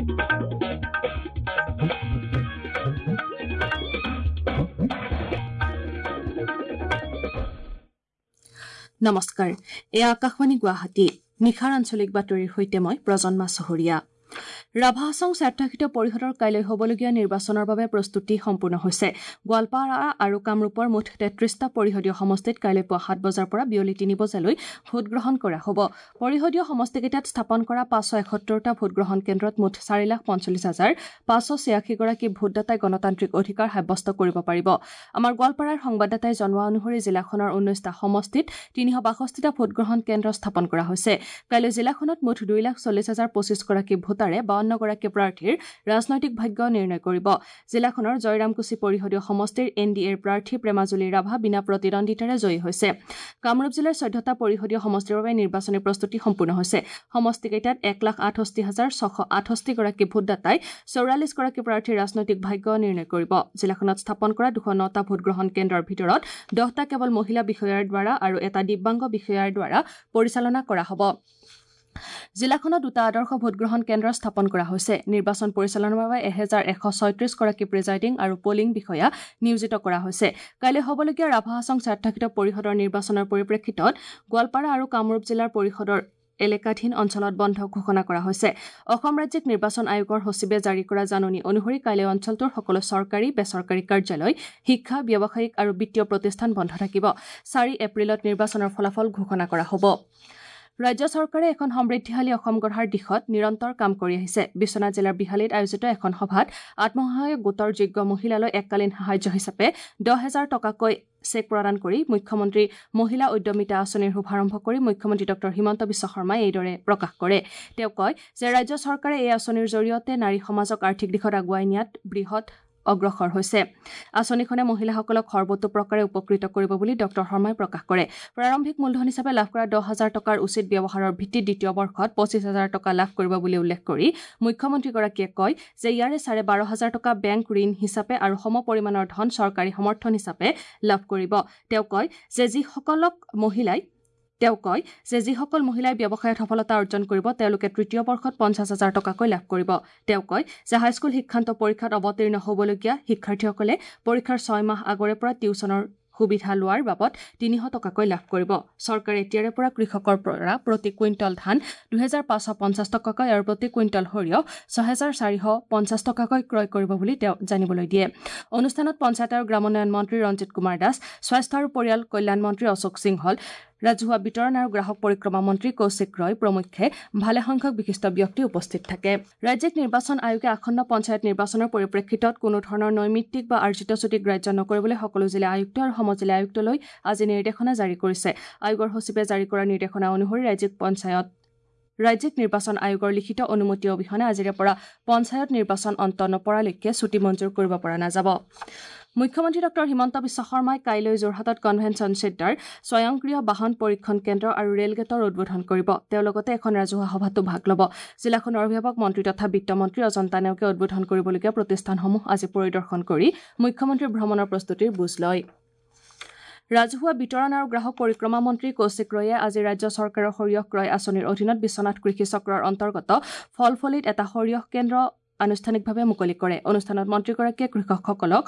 নমস্কাৰ, এয়া আকাশবাণী গুৱাহাটী। নিশাৰ আঞ্চলিক বাতৰিৰ সৈতে মই প্ৰজন্মা চহৰীয়া। ৰাভা হাছং স্বায়ত্তশাসিত পৰিষদৰ কাইলৈ হ'বলগীয়া নিৰ্বাচনৰ বাবে প্ৰস্তুতি সম্পূৰ্ণ হৈছে। গোৱালপাৰা আৰু কামৰূপৰ মুঠ 33টা পৰিষদীয় সমষ্টিত কাইলৈ পুৱা 7 বজাৰ পৰা বিয়লি 3 বজালৈ ভোটগ্ৰহণ কৰা হ'ব। পৰিষদীয় সমষ্টিকেইটাত স্থাপন কৰা 571টা ভোটগ্ৰহণ কেন্দ্ৰত মুঠ 4,45,586 গৰাকী ভোটদাতাই গণতান্ত্ৰিক অধিকাৰ সাব্যস্ত কৰিব পাৰিব। আমাৰ গোৱালপাৰাৰ সংবাদদাতাই জনোৱা অনুসৰি জিলাখনৰ 19টা সমষ্টিত 362টা ভোটগ্ৰহণ কেন্দ্ৰ স্থাপন কৰা হৈছে। কাইলৈ জিলাখনত মুঠ 2,40,025 গৰাকী ভোটাৰে 52 গৰাকী প্ৰাৰ্থীৰ ৰাজনৈতিক ভাগ্য নিৰ্ণয় কৰিব। জিলাখনৰ জয়ৰামকুছি পৰিষদীয় সমষ্টিৰ এন ডি এৰ প্ৰাৰ্থী প্ৰেমাজুলী ৰাভা বিনা প্ৰতিদ্বন্দ্বিতাৰে জয়ী হৈছে। কামৰূপ জিলাৰ 14টা পৰিষদীয় সমষ্টিৰ বাবে নিৰ্বাচনী প্ৰস্তুতি সম্পূৰ্ণ হৈছে। সমষ্টিকেইটাত 1,68,668 গৰাকী ভোটদাতাই 44 গৰাকী প্ৰাৰ্থীৰ ৰাজনৈতিক ভাগ্য নিৰ্ণয় কৰিব। জিলাখনত স্থাপন কৰা 209টা ভোটগ্ৰহণ কেন্দ্ৰৰ ভিতৰত 10টা কেৱল মহিলা বিষয়াৰ দ্বাৰা আৰু এটা দিব্যাংগ বিষয়াৰ দ্বাৰা পৰিচালনা কৰা হ'ব। জিলাখনত দুটা আদৰ্শ ভোটগ্ৰহণ কেন্দ্ৰ স্থাপন কৰা হৈছে। নিৰ্বাচন পৰিচালনাৰ বাবে 1,136 গৰাকী প্ৰিজাইডিং আৰু পলিং বিষয়া নিয়োজিত কৰা হৈছে। কাইলৈ হ'বলগীয়া ৰাভা হাছং স্বায়ত্তশাসিত পৰিষদৰ নিৰ্বাচনৰ পৰিপ্ৰেক্ষিতত গোৱালপাৰা আৰু কামৰূপ জিলাৰ পৰিষদৰ এলেকাধীন অঞ্চলত বন্ধ ঘোষণা কৰা হৈছে। অসম ৰাজ্যিক নিৰ্বাচন আয়োগৰ সচিবে জাৰি কৰা জাননী অনুসৰি কাইলৈ অঞ্চলটোৰ সকলো চৰকাৰী, বেচৰকাৰী কাৰ্যালয়, শিক্ষা, ব্যৱসায়িক আৰু বিত্তীয় প্ৰতিষ্ঠান বন্ধ থাকিব। 4 এপ্ৰিলত নিৰ্বাচনৰ ফলাফল ঘোষণা কৰা হ'ব। ৰাজ্য চৰকাৰে এখন সমৃদ্ধিশালী অসম গঢ়াৰ দিশত নিৰন্তৰ কাম কৰি আহিছে। বিশ্বনাথ জিলাৰ বিহালীত আয়োজিত এখন সভাত আত্মসহায়ক গোটৰ যোগ্য মহিলালৈ এককালীন সাহায্য হিচাপে 10,000 টকাকৈ চেক প্ৰদান কৰি মুখ্যমন্ত্ৰী মহিলা উদ্যমিতা আঁচনিৰ শুভাৰম্ভ কৰি মুখ্যমন্ত্ৰী ডঃ হিমন্ত বিশ্ব শৰ্মাই এইদৰে প্ৰকাশ কৰে। তেওঁ কয় যে ৰাজ্য চৰকাৰে এই আঁচনিৰ জৰিয়তে নাৰী সমাজক আৰ্থিক দিশত আগুৱাই নিয়াত বৃহৎ অগ্ৰসৰ হৈছে। আঁচনিখনে মহিলাসকলক সৰ্বতোপ্ৰকাৰে উপকৃত কৰিব বুলি ডঃ শৰ্মাই প্ৰকাশ কৰে। প্ৰাৰম্ভিক মূলধন হিচাপে লাভ কৰা 10,000 টকাৰ উচিত ব্যৱহাৰৰ ভিত্তিত দ্বিতীয় বৰ্ষত 25,000 টকা লাভ কৰিব বুলি উল্লেখ কৰি মুখ্যমন্ত্ৰীগৰাকীয়ে কয় যে ইয়াৰে 12,500 টকা বেংক ঋণ হিচাপে আৰু সম পৰিমাণৰ ধন চৰকাৰী সমৰ্থন হিচাপে লাভ কৰিব। তেওঁ কয় যে যিসকল মহিলাই ব্যৱসায়ত সফলতা অৰ্জন কৰিব তেওঁলোকে তৃতীয় বৰ্ষত 50,000 টকাকৈ লাভ কৰিব। তেওঁ কয় যে হাইস্কুল শিক্ষান্ত পৰীক্ষাত অৱতীৰ্ণ হ'বলগীয়া শিক্ষাৰ্থীসকলে পৰীক্ষাৰ 6 মাহ আগৰে পৰা টিউচনৰ সুবিধা লোৱাৰ বাবদ 300 টকাকৈ লাভ কৰিব। চৰকাৰে এতিয়াৰে পৰা কৃষকৰ পৰা প্ৰতি কুইণ্টল ধান 2,550 টকাকৈ আৰু প্ৰতি কুইণ্টল সৰিয়হ 6,450 টকাকৈ ক্ৰয় কৰিব বুলি তেওঁ জানিবলৈ দিয়ে। অনুষ্ঠানত পঞ্চায়ত আৰু গ্ৰামোন্নয়ন মন্ত্ৰী ৰঞ্জিত কুমাৰ দাস, স্বাস্থ্য আৰু পৰিয়াল কল্যাণ মন্ত্ৰী অশোক সিংহল, ৰাজহুৱা বিতৰণ আৰু গ্ৰাহক পৰিক্ৰমা মন্ত্ৰী কৌশিক ৰয় প্ৰমুখ্যে ভালেসংখ্যক বিশিষ্ট ব্যক্তি উপস্থিত থাকে। ৰাজ্যিক নিৰ্বাচন আয়োগে আসন্ন পঞ্চায়ত নিৰ্বাচনৰ পৰিপ্ৰেক্ষিতত কোনো ধৰণৰ নৈমিত্তিক বা আৰ্জিত ছুটি গ্ৰাহ্য নকৰিবলৈ সকলো জিলা আয়ুক্ত আৰু সমজিলা আয়ুক্তলৈ আজি নিৰ্দেশনা জাৰি কৰিছে। আয়োগৰ সচিবে জাৰি কৰা নিৰ্দেশনা অনুসৰি ৰাজ্যিক নিৰ্বাচন আয়োগৰ লিখিত অনুমতি অবিহনে আজিৰে পৰা পঞ্চায়ত নিৰ্বাচন অন্ত নপৰালৈকে ছুটি মঞ্জুৰ কৰিব পৰা নাযাব। মুখ্যমন্ত্ৰী ডঃ হিমন্ত বিশ্ব শৰ্মাই কাইলৈ যোৰহাটত কনভেনচন চেণ্টাৰ, স্বয়ংক্ৰিয় বাহন পৰীক্ষণ কেন্দ্ৰ আৰু ৰেলগেটৰ উদ্বোধন কৰিব। তেওঁ লগতে এখন ৰাজহুৱা সভাতো ভাগ ল'ব। জিলাখনৰ অভিভাৱক মন্ত্ৰী তথা বিত্তমন্ত্ৰী অজন্তা নেওগে উদ্বোধন কৰিবলগীয়া প্ৰতিষ্ঠানসমূহ আজি পৰিদৰ্শন কৰি মুখ্যমন্ত্ৰীৰ ভ্ৰমণৰ প্ৰস্তুতিৰ বুজ লয়। ৰাজহুৱা বিতৰণ আৰু গ্ৰাহক পৰিক্ৰমা মন্ত্ৰী কৌশিক ৰয়ে আজি ৰাজ্য চৰকাৰৰ সৰিয়হ ক্ৰয় আঁচনিৰ অধীনত বিশ্বনাথ কৃষি চক্ৰৰ অন্তৰ্গত ফলফলিত এটা সৰিয়হ কেন্দ্ৰ আনুষ্ঠানিকভাৱে মুকলি কৰে। অনুষ্ঠানত মন্ত্ৰীগৰাকীয়ে কৃষকসকলক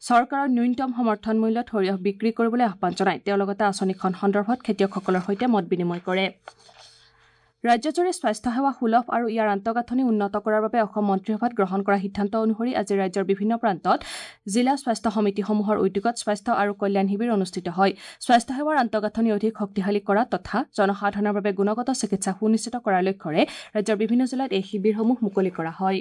চৰকাৰৰ ন্যূনতম সমৰ্থন মূল্যত সৰিয়হ বিক্ৰী কৰিবলৈ আহ্বান জনায়। তেওঁ লগতে আঁচনিখন সন্দৰ্ভত খেতিয়কসকলৰ সৈতে মত বিনিময় কৰে। ৰাজ্যজুৰি স্বাস্থ্যসেৱা সুলভ আৰু ইয়াৰ আন্তঃগাঁথনি উন্নত কৰাৰ বাবে অসম মন্ত্ৰীসভাত গ্ৰহণ কৰা সিদ্ধান্ত অনুসৰি আজি ৰাজ্যৰ বিভিন্ন প্ৰান্তত জিলা স্বাস্থ্য সমিতিসমূহৰ উদ্যোগত স্বাস্থ্য আৰু কল্যাণ শিবিৰ অনুষ্ঠিত হয়। স্বাস্থ্যসেৱাৰ আন্তঃগাঁথনি অধিক শক্তিশালী কৰা তথা জনসাধাৰণৰ বাবে গুণগত চিকিৎসা সুনিশ্চিত কৰাৰ লক্ষ্যৰে ৰাজ্যৰ বিভিন্ন জিলাত এই শিবিৰসমূহ মুকলি কৰা হয়।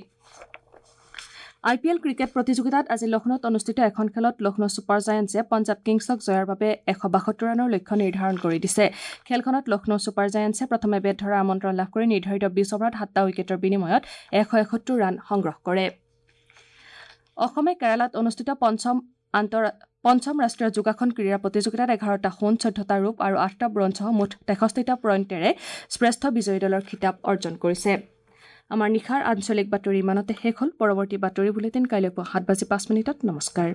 আই পি এল ক্ৰিকেট প্ৰতিযোগিতাত আজি লক্ষ্ণৌত অনুষ্ঠিত এখন খেলত লক্ষ্ণৌ ছুপাৰ জায়েণ্টছে পঞ্জাৱ কিংছক জয়ৰ বাবে 172 ৰানৰ লক্ষ্য নিৰ্ধাৰণ কৰি দিছে। খেলখনত লক্ষ্ণৌ ছুপাৰ জায়েণ্টছে প্ৰথমে বেট ধৰাৰ আমন্ত্ৰণ লাভ কৰি নিৰ্ধাৰিত 20 অভাৰত 7টা উইকেটৰ বিনিময়ত 171 ৰান সংগ্ৰহ কৰে। অসমে কেৰালাত অনুষ্ঠিত পঞ্চম ৰাষ্ট্ৰীয় যোগাসন ক্ৰীড়া প্ৰতিযোগিতাত 11টা সোণ, 14টা ৰূপ আৰু 8টা ব্ৰঞ্জসহ মুঠ 63টা পইণ্টেৰে শ্ৰেষ্ঠ বিজয়ী দলৰ খিতাপ অৰ্জন কৰিছে। আমাৰ নিশাৰ আঞ্চলিক বাতৰি ইমানতে শেষ হ'ল। পৰৱৰ্তী বাতৰি বুলেটিন কাইলৈ পুৱা 7:05। নমস্কাৰ।